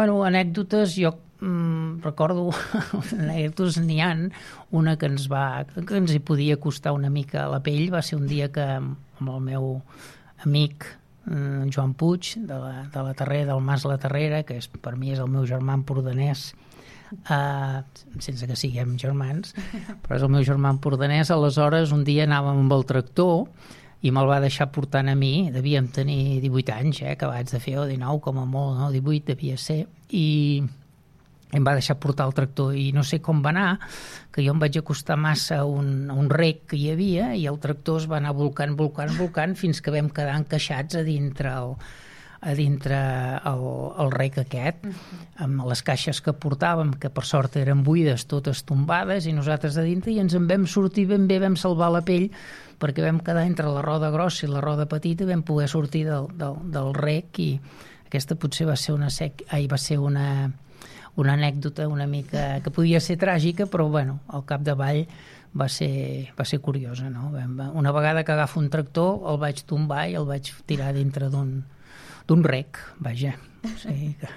Bueno, anècdotes, jo recordo, anècdotes n'hi ha, una que ens hi podia costar una mica la pell, va ser un dia que amb el meu amic Joan Puig, de la Terrera, del Mas La Terrera, que per mi és el meu germà empordanès, sense que siguem germans, però és el meu germà empordanès. Aleshores, un dia anàvem amb el tractor i me'l va deixar portant a mi, devíem tenir 18 anys, acabats de fer, o 19, com a molt, no? 18 devia ser, i em va deixar portar el tractor i no sé com va anar, que jo em vaig acostar massa a un rec que hi havia i el tractor es va anar volcant fins que vam quedar encaixats a dintre el rec aquest, amb les caixes que portàvem, que per sort eren buides, totes tombades, i nosaltres a dintre, i ens en vam sortir ben bé, vam salvar la pell, perquè vam quedar entre la roda grossa i la roda petita i vam poder sortir del rec, i aquesta potser va ser una anècdota una mica que podia ser tràgica, però bueno, al capdavall va ser curiosa, no? Una vegada que agafo un tractor el vaig tombar i el vaig tirar dintre d'un rec, vaja. O sigui que